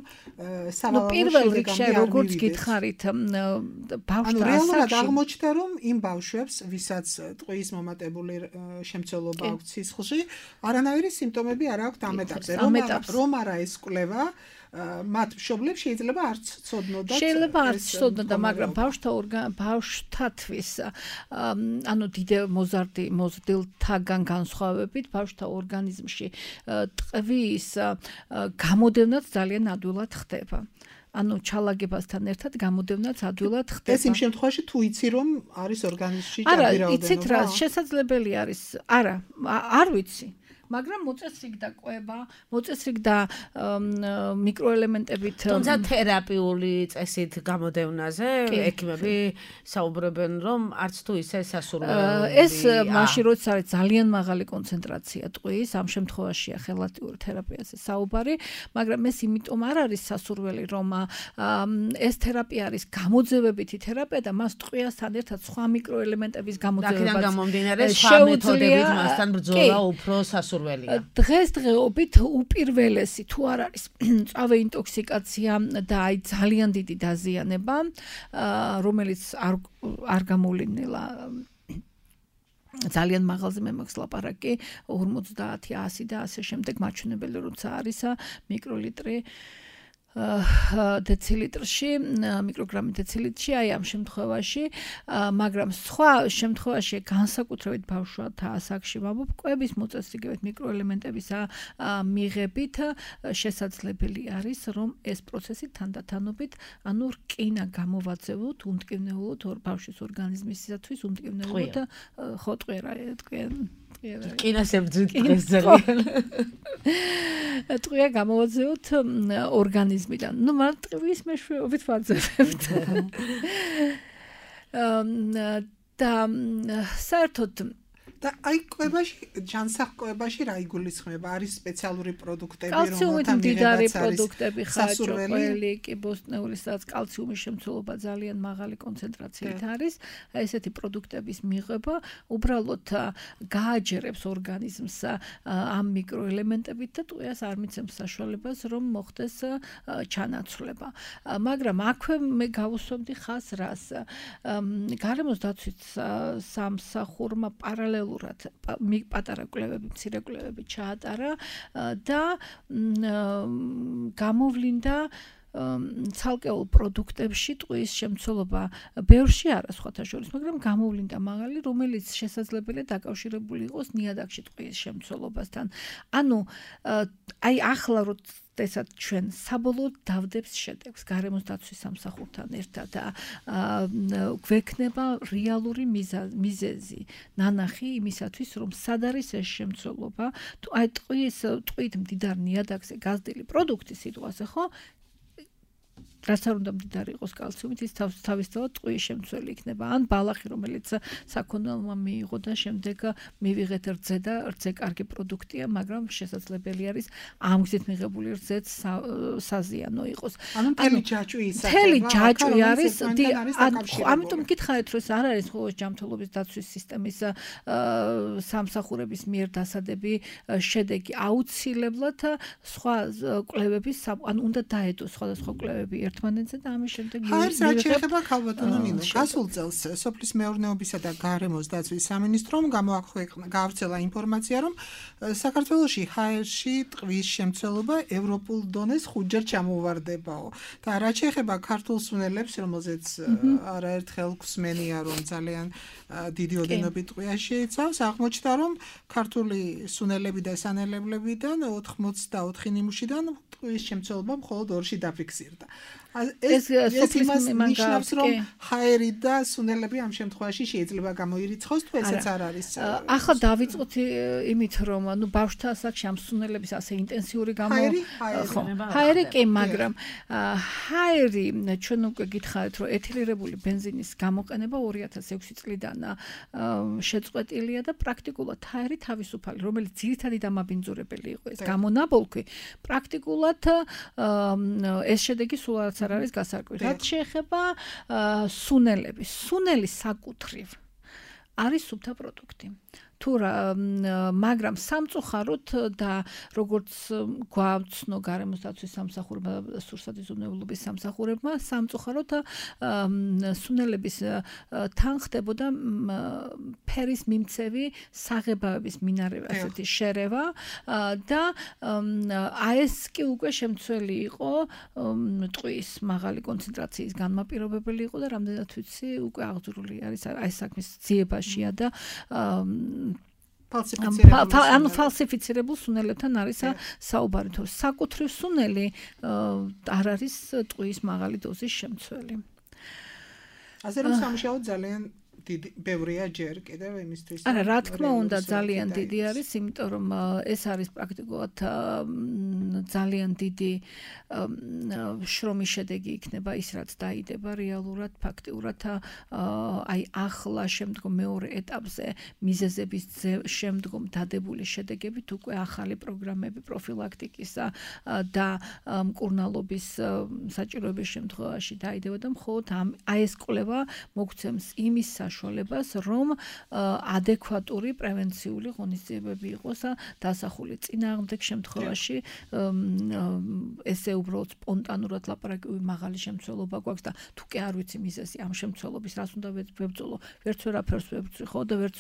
სავალალო პირველ რიგში როგორც გითხარით ანუ რეალურად აღმოჩნდა რომ იმ ბავშვებს ვისაც ტყვის მომატებული შემცველობა აქვს სისხლში არანაირი სიმპტომები არ აქვთ ამ ეტაპზე რომ არა ეს კვლევა მათ მშობლებს შეიძლება არც ცოდნოდათ შეიძლება არც ცოდნოდა მაგრამ ბავშვთა ბავშვთათვის ანუ დიდ მოზარდი მოზრდილთაგან განსხვავებით ბავშვთა ორგანიზმში ტყვის გამოდევნაც ძალიან ადვილად ხდება. ანუ ჩალაგებასთან ერთად გამოდევნაც ადვილად ხდება. ეს იმ შემთხვევაში თუ იცი რომ არის ორგანიზმში ჭარბი რაოდენობა. არა, იცით რა, შესაძლებელი არის. არა, არ ვიცი. მაგრამ მოწესრიგ და კვება, მოწესრიგ და მიკროელემენტებით თუმცა თერაპიული წესით გამოდევნაზე ექიმები საუბრობენ რომ არც თუ ისე სასურველი ეს მაშინ როცა არის ძალიან მაღალი კონცენტრაცია ტყვის, ამ შემთხვევაშია ხელატიურ თერაპიაზე საუბარი, მაგრამ ეს იმიტომ არ არის სასურველი რომ ეს თერაპია არის გამოძევებითი თერაპია და მას ტყვიასთან ერთად სხვა მიკროელემენტების გამოძევებაც აქედან გამომდინარე სხვა მეთოდებით მასთან ბრძოლა უფრო სასურველი დღესდღეობით უპირველესი თუ არ არის წავე ინტოქსიკაცია და აი ძალიან დიდი დაზიანება, რომელიც არ არ გამოვლინელა ძალიან მაღალზე მე მაქვს ლაპარაკი ორმოცდაათი, ასი და ასე შემდეგ მაჩვენებელი როცა არის მიკროლიტრი დეცილიტრში, მიკროგრამი დეცილიტრში, აი ამ შემთხვევაში, მაგრამ სხვა შემთხვევაში განსაკუთრებით ბავშვთა ასაკში კვების მოწესრიგებით მიკროელემენტების მიღებით შესაძლებელი არის, რომ ეს პროცესი თანდათანობით, ანუ რკინა გამოვაძევოთ უმტკივნეულოდ ბავშვის ორგანიზმისათვის უმტკივნეულოდ ხო ტყვია თქვენ რკინას ებრძვით დღეს ძალიან ტყვია გამოვაძევოთ ორგანიზმიდან. ნუ მან ტყვის მეშვეობით ვაძებებთ. და საერთოდ და აი კვებაში ჯანსაღკვებაში რა იგულისხმება? არის სპეციალური პროდუქტები რომელთა მიღებაც არის პროდუქტები ხაჭოყველი, კიბოსტნეული, სადაც კალციუმის შემცველობა ძალიან მაღალი კონცენტრაციით არის. ესეთი პროდუქტების მიღება უბრალოდ გააჯერებს ორგანიზმს ამ მიკროელემენტებით და ტყვიას არ მიცემს საშუალებას რომ მოხდეს ჩანაცვლება. მაგრამ აქვე მე გავუსვამდი ხას რას. გარემოს დაცვით სამსახურმა პარალელურად პატარა კვლევები, მცირე კვლევები ჩაატარა და გამოვლინდა ცალკეულ პროდუქტებში ტყუის შემცველობა ბევრში არა სხვათა შორის, მაგრამ გამოვლინდა მაღალი, რომელიც შესაძლებელია დაკავშირებული იყოს ნიადაგში ტყუის შემცველობასთან. ანუ აი ახლა როდესაც ჩვენ საბოლოოდ დავდებს შედეგს გარემოს დაცვის სამსახურთან ერთად და გვექნება რეალური მიზეზი ნანახი იმისათვის რომ სად არის ეს შემცველობა აი ტყუის ტყუით მდიდარ ნიადაგზე გაზრდილი პროდუქტი სიტყვაზე ხო რაც არ უნდა მდიდარი იყოს კალციუმით ის თავისთავად ტყუის შემცველი იქნება ან ბალახი რომელიც საქონელმა მიიღო და შემდეგ მივიღეთ რძე და რძე კარგი პროდუქტია მაგრამ შესაძლებელი არის ამ გზით მიღებული რძეც საზიანო იყოს ანუ მთელი ჯაჭვი ისაა მთელი ჯაჭვი არის ამიტომ მკითხავთ რომ ეს არ არის ხო ჯანმრთელობის დაცვის სისტემის სამსახურების მიერ დასადები შედეგი აუცილებლად სხვა კვლევების ანუ უნდა დაედოს სხვადასხვა კვლევები ერთმანეთზე და ამის შემდეგ არის რაც შეეხება ქალბატონო ნინო გასულ წელს სოფლის მეურნეობისა და გარემოს დაცვის სამინისტრომ გამოაქვეყნა გავრცელა ინფორმაცია რომ საქართველოში ჰაერში ტყვის შემცველობა ევროპულ დონეს ხუთჯერ ჩამოვარდებაო და რაც შეეხება ქართულ სუნელებს რომელზეც არაერთხელ გვსმენია რომ ძალიან დიდი ოდენობით ტყვია შეიცავს აღმოჩნდა რომ ქართული სუნელები და სანელებლებიდან ოთხმოცდაოთხი ნიმუშიდან ტყვის შემცველობა მხოლოდ ორში დაფიქსირდა ეს ეს იმას ნიშნავს რომ ჰაერი და სუნელები ამ შემთხვევაში შეიძლება გამოირიცხოს თუ ესეც არ არის ახლა დავიწყოთ იმით რომ ანუ ბავშვთა ასაკში ამ სუნელების ასე ინტენსიური გამო ჰაერი კი მაგრამ ჰაერი ჩვენ უკვე გითხარით რომ ეთილირებული ბენზინის გამოყენება ორი ათას ექვსი წლიდან შეწყვეტილია და პრაქტიკულად ჰაერი თავისუფალი რომელიც ძირითადი დამაბინძურებელი იყო ეს გამონაბოლქვი პრაქტიკულად ეს შედეგი სულ არ არის გასარკვევი. რაც შეეხება სუნელების, სუნელის საკუთრივ არის სუფთა პროდუქტი. თუ მაგრამ სამწუხაროდ და როგორც გვააცნო გარემოს დაცვის სამსახურმა და სურსათიზმეულობის სამსახურებმა სამწუხაროდ სუნელების თან ხდებოდა ფერის მიმცევი საღებავების მინარევა ასეთი შერევა და აი ეს კი უკვე შემცველი იყო ტყვის მაღალი კონცენტრაციის განმაპირობებელი იყო და რამდენად ვიცი უკვე აღძრული არის აი საქმის ძიებაშია და ანუ ფალსიფიცირებულ სუნელებთან არის საუბარი თუ საკუთრივ სუნელი არ არის ტყვის მაღალი დოზის შემცველი. ასე რომ სამუშაო ძალიან დიდი ბევრია ჯერ კიდევ იმისთვის არა რა თქმა უნდა ძალიან დიდი არის იმიტომ რომ ეს არის პრაქტიკულად ძალიან დიდი შრომის შედეგი იქნება ის რაც დაიდება რეალურად ფაქტიურად აი ახლა შემდგომ მეორე ეტაპზე მიზეზების შემდგომ დადებული შედეგებით უკვე ახალი პროგრამები პროფილაქტიკისა და მკურნალობის საჭიროების შემთხვევაში დაიდება და მხოლოდ აი ეს კვლევა მოგცემს იმის საშუალებას რომ ადეკვატური პრევენციული ღონისძიებები იყოს დასახული წინააღმდეგ შემთხვევაში ესე უბრალოდ სპონტანურად ლაპარაკი მაღალი შემცველობა გვაქვს და თუ კი არ ვიცი მიზეზი ამ შემცველობის რას უნდა ვებრძოლო ვერც ვერაფერს ვებრძვი ხო და ვერც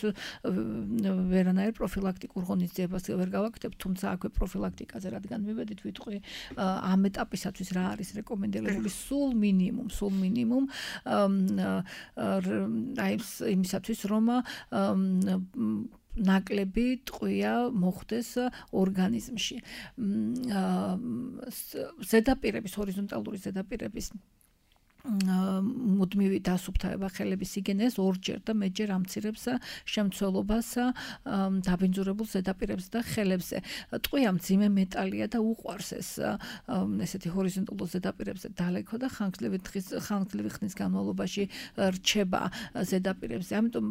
ვერანაირ პროფილაქტიკურ ღონისძიებას ვერ გავაკეთებ თუმცა აქვე პროფილაქტიკაზე რადგან მივედით ვიტყვი ამ ეტაპისათვის რა არის რეკომენდებული სულ მინიმუმ სულ მინიმუმ აი იმისათვის რომ ნაკლები ტყვია მოხდეს ორგანიზმში. ზედაპირების ჰორიზონტალური ზედაპირების მუდმივი დასუფთავება ხელების იგენეს ორჯერ და მეტჯერ ამცირებს შემცველობას დაბინძურებულ ზედაპირებზე და ხელებზე. ტყვია მძიმე მეტალია და უყვარს ეს ესეთი ჰორიზონტალურ ზედაპირებზე დალექვა და ხანგრძლივი დღის ხანგრძლივი ხნის განმავლობაში რჩება ზედაპირებზე. ამიტომ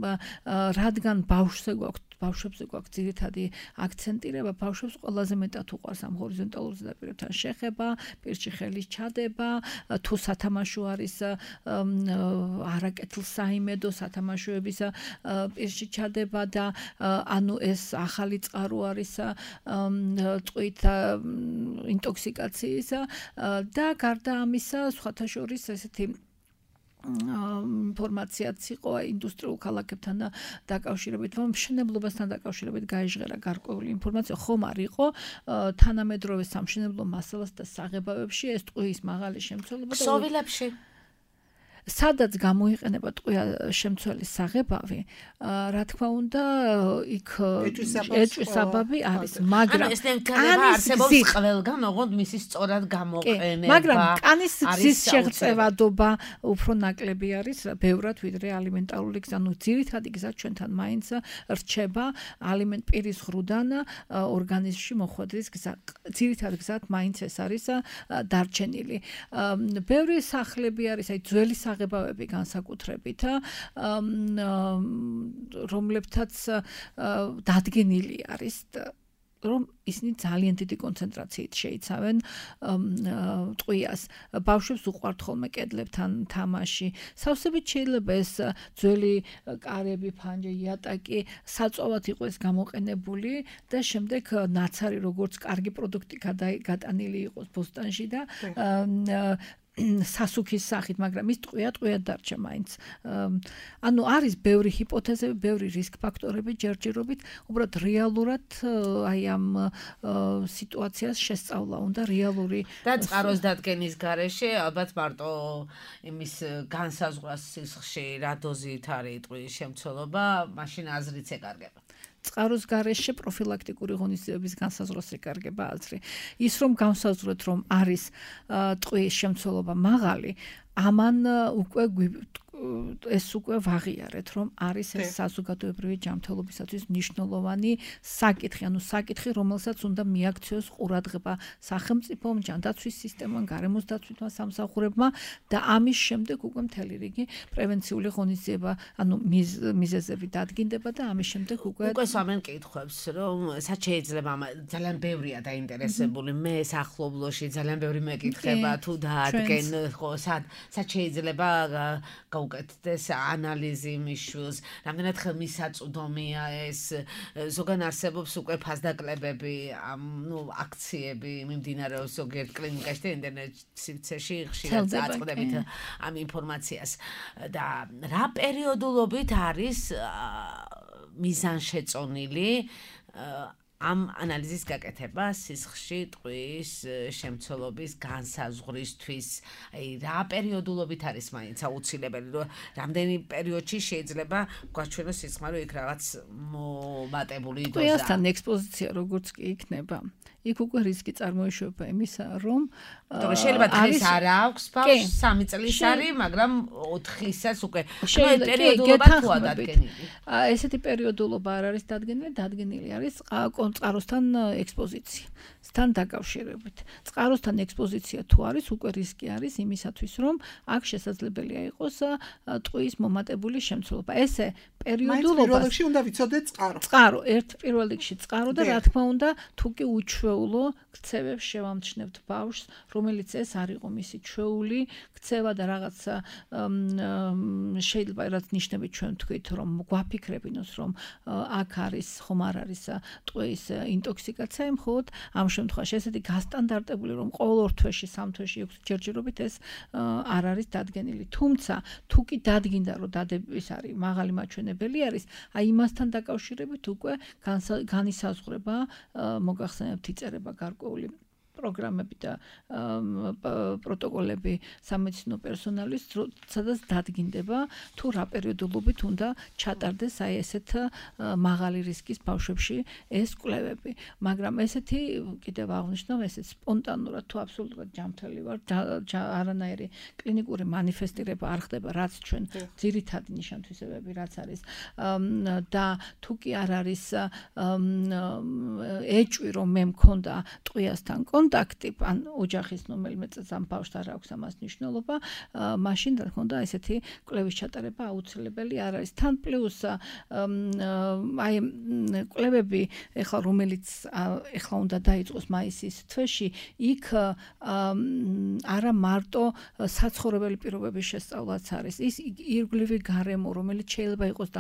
რადგან ბავშვზე გვაქვს ბავშვებზე გვაქვს ძირითადი აქცენტირება ბავშვებს ყველაზე მეტად უყვარს ამ ჰორიზონტალურ ზედაპირებთან შეხება, პირში ხელის ჩადება, თუ სათამაშო არის არაკეთილ საიმედო სათამაშოების პირში ჩადება და ანუ ეს ახალი წყარო არის ტყვით ინტოქსიკაციის და გარდა ამისა სხვათა შორის ესეთი ინფორმაციაც იყო ინდუსტრიულ ქალაქებთან დაკავშირებით, რომ მშენებლობასთან დაკავშირებით გაიჟღერა გარკვეული ინფორმაცია, ხომ არ იყო თანამედროვე სამშენებლო მასალას და საღებავებში ეს ტყუის მაღალი შემცველობა და ქსოვილებში სადაც გამოიყენება ტყვია შემცველი საღებავი, რა თქმა უნდა, იქ ეჭვისაბაბი არის, მაგრამ ეს ნებდება არსებობს ყველგან, ოღონდ მისი სწორად გამოყენება. მაგრამ კანის გზის შეღწევადობა უფრო ნაკლები არის, ბევრად ვიდრე ალიმენტარული გზა, ნუ ძირითადი გზა ჩვენთან მაინც რჩება ალიმენტ პირის ღრუდან ორგანიზმში მოხვედრის გზა. ძირითადი გზად მაინც ეს არის დარჩენილი. ბევრი სახლები არის, აი ძველი საღებავები განსაკუთრებით, რომლებთაც დადგენილი არის, რომ ისინი ძალიან დიდი კონცენტრაციით შეიცავენ ტყვიას. ბავშვებს უყვართ ხოლმე კედლებთან თამაში. სავსებით შეიძლება ეს ძველი კარები, ფანჯი, იატაკი საწვავად იყო ეს გამოყენებული და შემდეგ ნაცარი როგორც კარგი პროდუქტი გადატანილი იყოს ბოსტანში და სასუქის სახით, მაგრამ ის ტყვია ტყვიად დარჩა მაინც. ანუ არის ბევრი ჰიპოთეზები, ბევრი რისკ ფაქტორები ჯერჯერობით, უბრალოდ რეალურად აი ამ სიტუაციას შესწავლა უნდა რეალური და წყაროს დადგენის გარეშე ალბათ მარტო იმის განსაზღვრას სისხლში რა დოზით არის ტყვის შემცველობა, მაშინ აზრიც ეკარგება. წყაროს გარეშე პროფილაქტიკური ღონისძიებების განსაზღვრას ეკარგება აზრი. ის რომ განსაზღვროთ, რომ არის ტყვის შემცველობა მაღალი, ამან უკვე ეს უკვე ვაღიარეთ, რომ არის ეს საზოგადოებრივი ჯანმრთელობისათვის მნიშვნელოვანი საკითხი, ანუ საკითხი, რომელსაც უნდა მიაქციოს ყურადღება სახელმწიფომ, ჯანდაცვის სისტემამ, გარემოს დაცვითმა სამსახურებმა და ამის შემდეგ უკვე მთელი რიგი პრევენციული ღონისძიება, ანუ მიზეზები დადგინდება და ამის შემდეგ უკვე უკვე სამენ კითხვებს, რომ სად შეიძლება ძალიან ბევრია დაინტერესებული, მე სახლობლოში ძალიან ბევრი მეკითხება თუ დაადგენ, ხო, სად სად შეიძლება უკეთდეს ანალიზი მიშვილს, რამდენად ხელმისაწვდომია ეს, ზოგან არსებობს უკვე ფასდაკლებები, ნუ აქციები მიმდინარეობს ზოგიერთ კლინიკაში და ინტერნეტში ხშირად აწყდებით ამ ინფორმაციას და რა პერიოდულობით არის მიზანშეწონილი ამ ანალიზის გაკეთება სისხლში ტყვის შემცველობის განსაზღვრისთვის. აი რა პერიოდულობით არის მაინც აუცილებელი, რომ რამდენი პერიოდში შეიძლება გვაჩვენოს სისხლმარე იქ რაღაც მომატებული დოზა. ტყვიასთან ექსპოზიცია როგორც კი იქნება, იქ უკვე რისკი წარმოიშვება იმისა, რომ შეიძლება დღეს არ აქვს ბავშვს, სამი წლის არის, მაგრამ ოთხისაც უკვე პერიოდულობა თუ დადგენილი. ესეთი პერიოდულობა არ არის დადგენილი, დადგენილი არის წყაროსთან ექსპოზიცია. სთან დაკავშირებით. წყაროსთან ექსპოზიცია თუ არის, უკვე რისკი არის იმისათვის, რომ აქ შესაძლებელია იყოს ტყვის მომატებული შემცველობა. ესე პერიოდულობა პირველ რიგში უნდა ვიცოდეთ წყარო. წყარო, ერთ პირველ რიგში წყარო და რა თქმა უნდა, თუ კი უჩვეულო ქცევებს შევამჩნევთ ბავშვს, რომელიც ეს არ იყო მისი ჩვეული ქცევა და რაღაც შეიძლება რაც ნიშნები ჩვენ თქვით, რომ გვაფიქრებინოს, რომ აქ არის ხომ არ არის ტყვის ინტოქსიკაცია, მხოლოდ ამ შემთხვევაში ესეთი გასტანდარტებული, რომ ყოველ ორ თვეში, სამ თვეში, ექვს ჯერჯერობით ეს არ არის დადგენილი. თუმცა, თუ კი დადგინდა, რომ დადების არის მაღალი მაჩვენებელი არის, აი იმასთან დაკავშირებით უკვე განისაზღვრება, მოგახსენებთ იწერება გარკვეული პროგრამები და პროტოკოლები სამედიცინო პერსონალის, სადაც დადგინდება თუ რა პერიოდულობით უნდა ჩატარდეს აი ესეთ მაღალი რისკის ბავშვებში ეს კვლევები. მაგრამ ესეთი კიდევ აღნიშნავ, ესეც სპონტანურად თუ აბსოლუტურად ჯანმრთელი ვარ, არანაირი კლინიკური მანიფესტირება არ ხდება, რაც ჩვენ ძირითადი ნიშან-თვისებები რაც არის და თუ კი არ არის ეჭვი, რომ მე მქონდა ტყვიასთან კონტაქტი, ან ოჯახის რომელიმე წელს ამ ბავშვს არ აქვს ამას მნიშვნელობა, მაშინ რა თქმა უნდა ესეთი კვლევის ჩატარება აუცილებელი არ არის. თან პლუს აი კვლევები, ეხლა რომელიც ეხლა უნდა დაიწყოს მაისის თვეში, იქ არა მარტო საცხოვრებელი პირობების შესწავლაც არის, ის ირგვლივი გარემო, რომელიც შეიძლება იყოს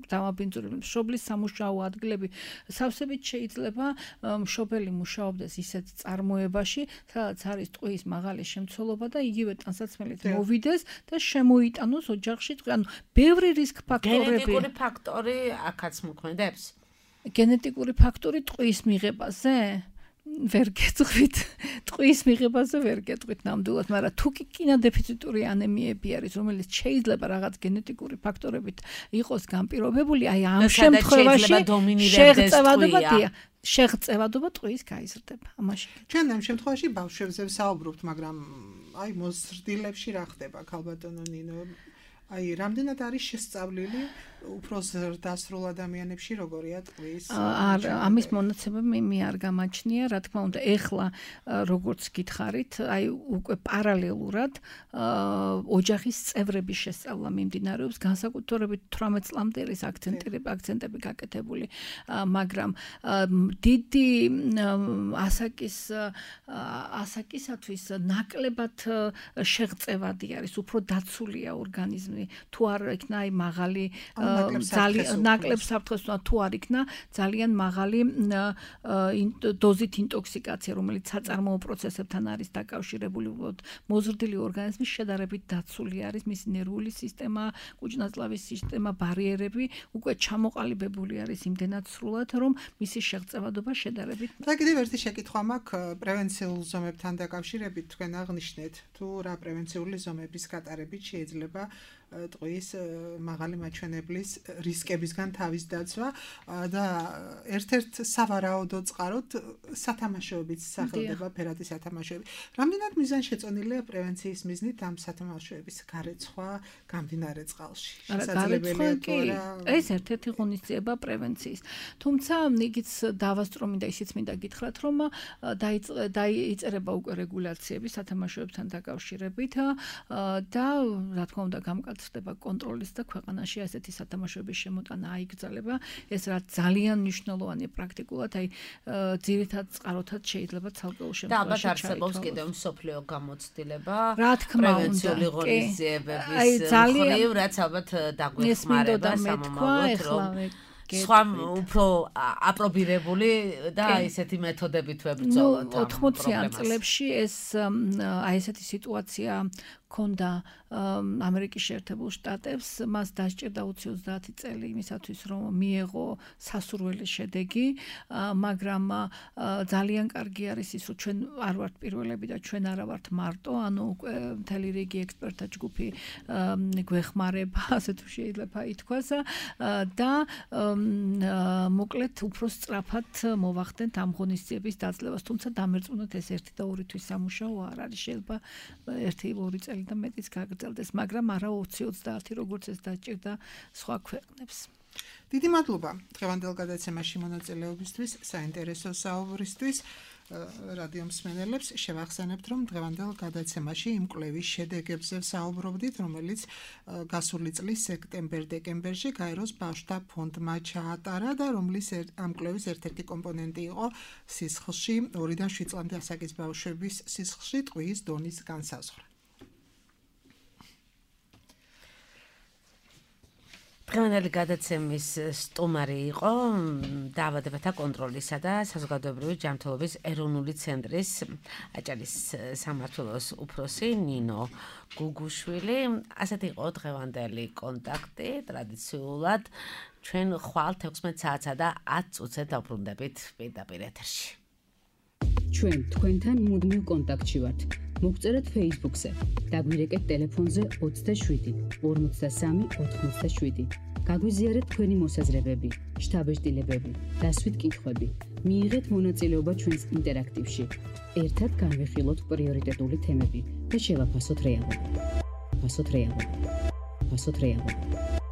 დამაბინძურებული, მშობლის სამუშაო ადგილები, სავსებით შეიძლება მშობელი მუშაობდეს ისეთ წარმოებაში, სადაც არის ტყუის მაღალი შემცველობა და იგივე ტანსაცმელით მოვიდეს და შემოიტანოს ოჯახში ტყვი. ანუ ბევრი რისკ ფაქტორები. გენეტიკური ფაქტორი აქაც მოქმედებს? გენეტიკური ფაქტორი ტყუის მიღებაზე? ვერ გეტყვით. ტყუის მიღებაზე ვერ გეტყვით ნამდვილად, მაგრამ თუ კი კინოდეფიციტური ანემიები არის, რომელიც შეიძლება რაღაც გენეტიკური ფაქტორებით იყოს განპირობებული, აი ამ შემთხვევაში შეღწევადობაა. შეღწევადობა ტყუის გაიზრდება. ამაში. ჩვენ ამ შემთხვევაში ბავშვებზე ვსაუბრობთ, მაგრამ აი მოზრდილებში რა ხდება, ქალბატონო ნინო? აი, რამდენად არის შესწავლილი უფრო ზრდასრულ ადამიანებში როგორია ტყვის? არა, ამის მონაცემები მე არ გამაჩნია, რა თქმა უნდა, ეხლა როგორც გითხარით, აი უკვე პარალელურად ოჯახის წევრების შესწავლა მიმდინარეობს, განსაკუთრებით თვრამეტ წლამდე არის აქცენტები, აქცენტები გაკეთებული, მაგრამ დიდი ასაკის ასაკისათვის ნაკლებად შეღწევადი არის, უფრო დაცულია ორგანიზმი. თუ არ იქნა აი მაღალი ძალიან ნაკლებ საფრთხეს თუ არ იქნა ძალიან მაღალი დოზით ინტოქსიკაცია, რომელიც საწარმოო პროცესებთან არის დაკავშირებული, მოზრდილი ორგანიზმის შედარებით დაცული არის, მისი ნერვული სისტემა, კუჭნაწლავის სისტემა, ბარიერები უკვე ჩამოყალიბებული არის იმდენად სრულად, რომ მისი შეღწევადობა შედარებით. და კიდევ ერთი შეკითხვა მაქვს პრევენციულ ზომებთან დაკავშირებით, თქვენ აღნიშნეთ, თუ რა პრევენციული ზომების გატარებით შეიძლება ტყვის მაღალი მაჩვენებლის რისკებისგან თავის დაცვა და ერთ-ერთ სავარაუდო წყაროდ სათამაშოებიც სახელდება ფერადი სათამაშოები. რამდენად მიზანშეწონილია პრევენციის მიზნით ამ სათამაშოების გარეცხვა გამდინარე წყალში? შესაძლებელია თუ არა? ეს ერთ-ერთი ღონისძიება პრევენციის. თუმცა იგიც დავასწრო მინდა ისიც მინდა გითხრათ, რომ დაიწერება უკვე რეგულაციები სათამაშოებთან დაკავშირებით და რა თქმა უნდა გამკაცრდება ხდება კონტროლის და ქვეყანაში ასეთი სათამაშოების შემოტანა აიგრძელება. ეს რა ძალიან მნიშვნელოვანია პრაქტიკულად, აი ძირითად წყაროთად შეიძლება ცალკეულ შემთხვევაში. და ალბათ არსებობს კიდევ მსოფლიო გამოცდილება, რა თქმა უნდა, პრევენციული ღონისძიებების მხრივ, რაც ალბათ დაგვეხმარება სამომავლოდ, რომ სხვა უფრო აპრობირებული და ესეთი მეთოდებით ვებრძოლოთ. ოთხმოციან წლებში ეს აი ესეთი სიტუაცია ქონდა ამერიკის შეერთებულ შტატებს, მას დასჭირდა ოცდაათი წელი იმისათვის, რომ მიეღო სასურველი შედეგი, მაგრამ ძალიან კარგი არის ის, რომ ჩვენ არ ვართ პირველები და ჩვენ არა ვართ მარტო, ანუ უკვე მთელი რიგი ექსპერტთა ჯგუფი გვეხმარება, ასე თუ შეიძლება ითქვას და მოკლედ უფრო სწრაფად მოვახდენთ ამ ღონისძიების დაძლევას, თუმცა დამერწმუნოთ ეს ერთი და ორი თვის სამუშაო არ არის, შეიძლება ერთი ორი წელი და მეტიც გაგრძელდეს, მაგრამ არა ოცი ოცდაათი როგორც ეს დაჭირდა სხვა ქვეყნებს. დიდი მადლობა დღევანდელ გადაცემაში მონაწილეობისთვის, საინტერესო საუბრისთვის. რადიო მსმენელებს შევახსენებთ, რომ დღევანდელ გადაცემაში იმ კვლევის შედეგებზე ვსაუბრობდით, რომელიც გასული წლის სექტემბერ-დეკემბერში გაეროს ბავშვთა ფონდმა ჩაატარა და რომლის ამ კვლევის ერთ-ერთი კომპონენტი იყო სისხლში ორიდან შვიდ წლამდე ასაკის ბავშვების სისხლში ტყვის დონის განსაზღვრა. დღევანდელი გადაცემის სტუმარი იყო დაავადებათა კონტროლისა და საზოგადოებრივი ჯანმრთელობის ეროვნული ცენტრის აჭარის სამმართველოს უფროსი ნინო გუგუშვილი. ასეთი იყო დღევანდელი კონტაქტი. ტრადიციულად ჩვენ ხვალ თექვსმეტ საათსა და ათ წუთზე დავბრუნდებით პირდაპირ ეთერში. ჩვენ თქვენთან მუდმივ კონტაქტში ვართ. მოგწერეთ Facebook-ზე, დაგვირეკეთ ტელეფონზე ოცდაშვიდი ორმოცდასამი ოთხმოცდაშვიდი. გაგვიზიარეთ თქვენი მოსაზრებები, შთაბეჭდილებები, დასვით კითხვები. მიიღეთ მონაწილეობა ჩვენს ინტერაქტივში. ერთად განვიხილოთ პრიორიტეტული თემები და შევაფასოთ რეალობა. ფასოთ რეალობა. ფასოთ რეალობა.